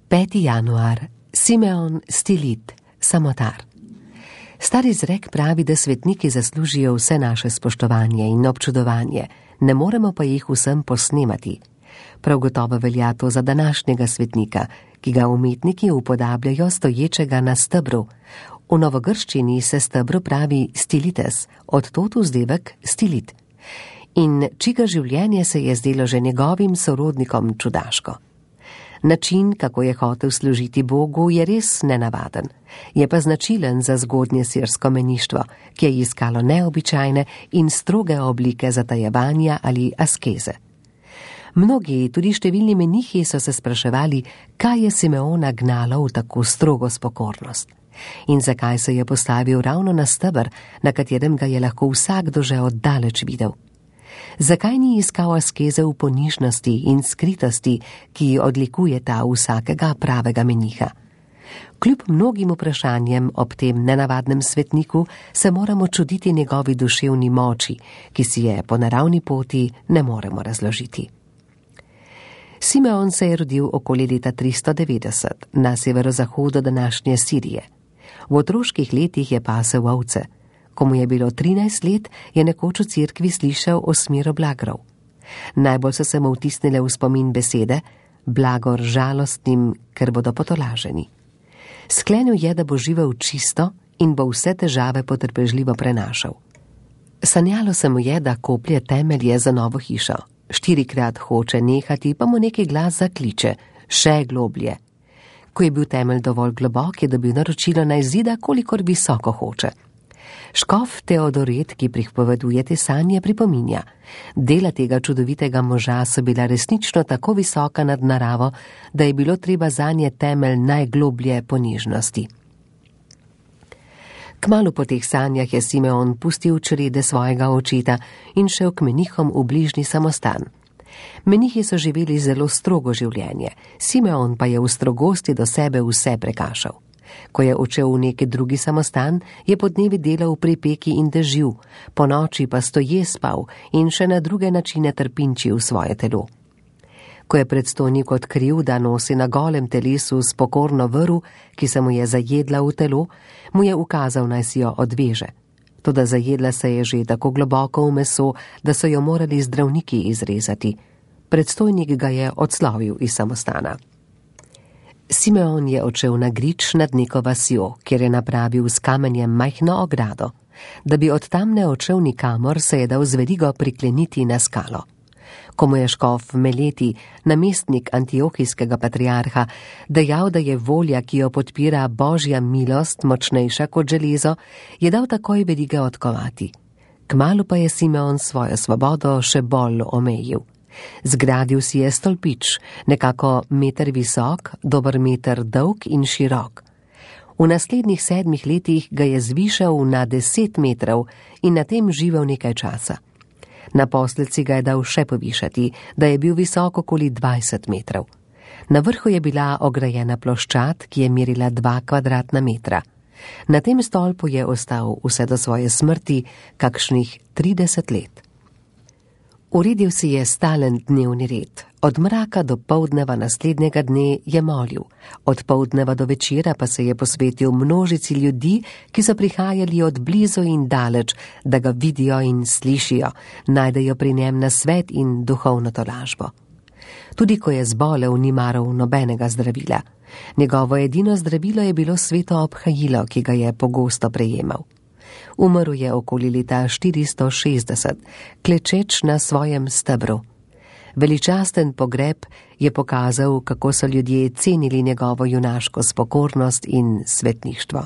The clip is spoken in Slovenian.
5. januar. Simeon Stilit, samotar. Stari izrek pravi, da svetniki zaslužijo vse naše spoštovanje in občudovanje, ne moremo pa jih vsem posnemati. Prav gotovo velja to za današnjega svetnika, ki ga umetniki upodabljajo stoječega na stebru. V novogrščini se stebru pravi stilites, od tod vzdevek stilit. In čiga življenje se je zdelo že njegovim sorodnikom čudaško. Način, kako je hotel služiti Bogu, je res nenavaden. Je pa značilen za zgodnje sirsko meništvo, ki je iskalo neobičajne in stroge oblike zatajevanja ali askeze. Mnogi, tudi številni menihi, so se spraševali, kaj je Simeona gnalo v tako strogo spokornost. In zakaj se je postavil ravno na steber, na katerem ga je lahko vsakdo že oddaleč videl. Zakaj ni iskal askeze v ponižnosti in skritosti, ki odlikujeta vsakega pravega meniha? Kljub mnogim vprašanjem ob tem nenavadnem svetniku se moramo čuditi njegovi duševni moči, ki si je po naravni poti ne moremo razložiti. Simeon se je rodil okoli leta 390 na severozahodu današnje Sirije. V otroških letih je pasel ovce. Ko mu je bilo 13 let, je nekoč v cerkvi slišal o smiru blagrov. Najbolj so se mu vtisnile v spomin besede: blagor žalostnim, ker bodo potolaženi. Sklenil je, da bo živel čisto in bo vse težave potrpežljivo prenašal. Sanjalo se mu je, da koplje temelje za novo hišo. 4-krat hoče nehati, pa mu neki glas zakliče: še globlje. Ko je bil temelj dovolj globok, je dobil naročilo naj zida, kolikor visoko hoče. Škof Teodoret, ki pripoveduje te sanje, pripominja: dela tega čudovitega moža so bila resnično tako visoka nad naravo, da je bilo treba zanje temelj najgloblje ponižnosti. Kmalu po teh sanjah je Simeon pustil črede svojega očeta in šel k menihom v bližnji samostan. Menihi so živeli zelo strogo življenje, Simeon pa je v strogosti do sebe vse prekašal. Ko je odšel v neki drugi samostan, je podnevi delal pri peki in dežju, po noči pa stoje spal in še na druge načine trpinčil svoje telo. Ko je predstojnik odkril, da nosi na golem telesu spokorno vrv, ki se mu je zajedla v telo, mu je ukazal, naj si jo odveže. Toda zajedla se je že tako globoko v meso, da so jo morali zdravniki izrezati. Predstojnik ga je odslovil iz samostana. Simeon je odšel na grič nad neko vasjo, kjer je napravil s kamenjem majhno ogrado. Da bi od tam ne odšel nikamor, se je dal z verigo prikleniti na skalo. Ko mu je škof Meleti, namestnik antiohijskega patriarha, dejal, da je volja, ki jo podpira božja milost, močnejša kot železo, je dal takoj verige odkovati. Kmalu pa je Simeon svojo svobodo še bolj omejil. Zgradil si je stolpič, nekako meter visok, dober meter dolg in širok. V naslednjih 7 letih ga je zvišal na 10 metrov in na tem živel nekaj časa. Naposled si ga je dal še povišati, da je bil visok okoli 20 metrov. Na vrhu je bila ograjena ploščad, ki je merila 2 kvadratna metra. Na tem stolpu je ostal vse do svoje smrti kakšnih 30 let. Uredil si je stalen dnevni red. Od mraka do poldneva naslednjega dne je molil. Od poldneva do večera pa se je posvetil množici ljudi, ki so prihajali od blizu in daleč, da ga vidijo in slišijo, najdejo pri njem nasvet in duhovno tolažbo. Tudi ko je zbolel, ni maral nobenega zdravila. Njegovo edino zdravilo je bilo sveto obhajilo, ki ga je pogosto prejemal. Umrl je okoli leta 460, klečeč na svojem stebru. Veličasten pogreb je pokazal, kako so ljudje cenili njegovo junaško spokornost in svetništvo.